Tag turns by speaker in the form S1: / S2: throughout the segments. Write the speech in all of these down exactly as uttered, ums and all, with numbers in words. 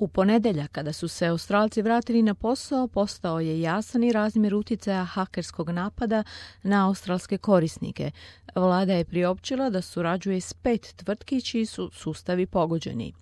S1: U ponedjeljak, kada su se Australci vratili na posao, postao je jasan i razmjer utjecaja hakerskog napada na australske korisnike. Vlada je priopćila da surađuje s pet tvrtki čiji su sustavi pogođeni.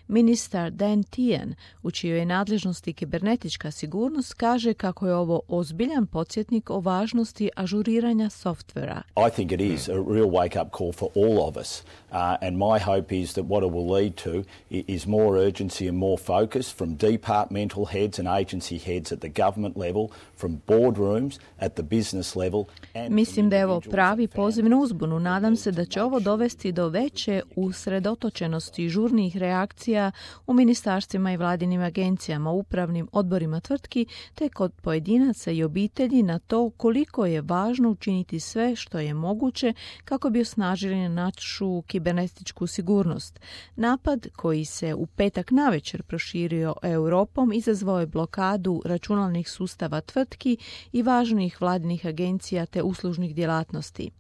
S1: Ministar Dan Tehan, u čijoj je nadležnosti kibernetička sigurnost, kaže kako je ovo ozbiljan podsjetnik o važnosti ažuriranja softvera.
S2: I think it is a real wake-up call for all of us. Uh, and my hope is that what it will lead to is more urgency and more focus from departmental heads and agency heads at the government level, from boardrooms at the business level. And
S1: Mislim da je ovo pravi poziv na uzbunu. Nadam se da će ovo dovesti do veće usredotočenosti i žurnih reakcija u ministarstvima i vladinim agencijama, upravnim odborima tvrtki, te kod pojedinaca i obitelji na to koliko je važno učiniti sve što je moguće kako bi osnažili našu kibernetičku sigurnost. Napad koji se u petak navečer proširio Europom izazvao je blokadu računalnih sustava tvrtki i važnih vladinih agencija te uslužnih djelatnosti.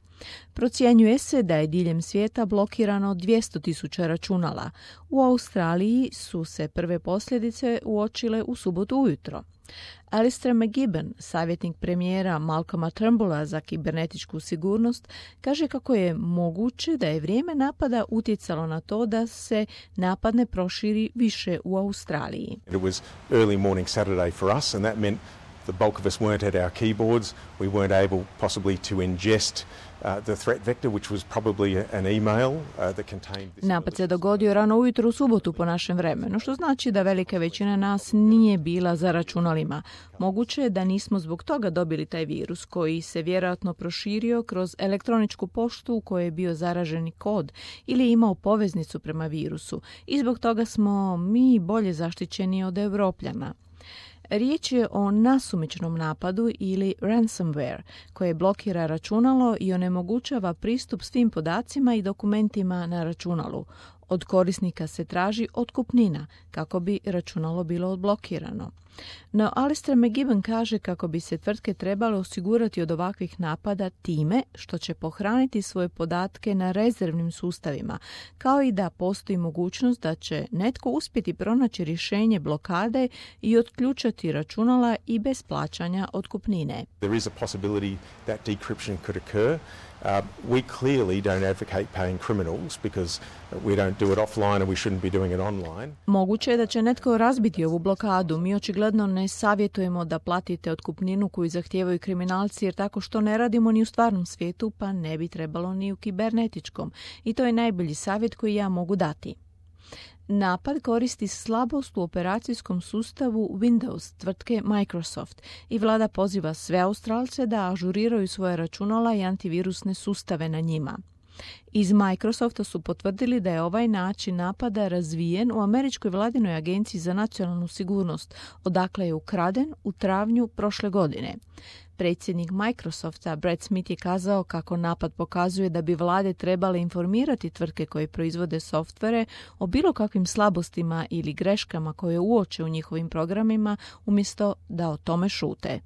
S1: Procjenjuje se da je diljem svijeta blokirano dvjesto tisuća računala. U Australiji su se prve posljedice uočile u subotu ujutro. Alistair McGibbon, savjetnik premijera Malcolma Turnbulla za kibernetičku sigurnost, kaže kako je moguće da je vrijeme napada utjecalo na to da se napad ne proširi više u Australiji.
S3: It was early morning Saturday for us and that meant the bulk of us weren't at our keyboards. We weren't able possibly to ingest Uh, the threat vector, which was probably an email uh, that contained this.
S1: Napad se dogodio rano ujutro u subotu po našem vremenu, što znači da velika većina nas nije bila za računalima. Moguće je da nismo zbog toga dobili taj virus koji se vjerojatno proširio kroz elektroničku poštu u kojoj je bio zaraženi kod ili imao poveznicu prema virusu i zbog toga smo mi bolje zaštićeni od Europljana. Riječ je o nasumičnom napadu ili ransomware koje blokira računalo i onemogućava pristup svim podacima i dokumentima na računalu. Od korisnika se traži otkupnina kako bi računalo bilo odblokirano. No Alistair McGibbon kaže kako bi se tvrtke trebale osigurati od ovakvih napada time što će pohraniti svoje podatke na rezervnim sustavima, kao i da postoji mogućnost da će netko uspjeti pronaći rješenje blokade i otključati računala i bez plaćanja otkupnine.
S3: There is a possibility that decryption could occur. Uh, we clearly don't advocate paying criminals because we don't do it offline and we shouldn't be doing it online.
S1: Moguće je da će netko razbiti ovu blokadu. Mi očigledno ne savjetujemo da platite otkupninu koju zahtijevaju kriminalci jer tako što ne radimo ni u stvarnom svijetu pa ne bi trebalo ni u kibernetičkom. I to je najbolji savjet koji ja mogu dati. Napad koristi slabost u operacijskom sustavu Windows tvrtke Microsoft i vlada poziva sve Australce da ažuriraju svoje računala i antivirusne sustave na njima. Iz Microsofta su potvrdili da je ovaj način napada razvijen u Američkoj vladinoj agenciji za nacionalnu sigurnost, odakle je ukraden u travnju prošle godine. Predsjednik Microsofta Brad Smith je kazao kako napad pokazuje da bi vlade trebale informirati tvrtke koje proizvode softvere o bilo kakvim slabostima ili greškama koje uoče u njihovim programima umjesto da o tome šute.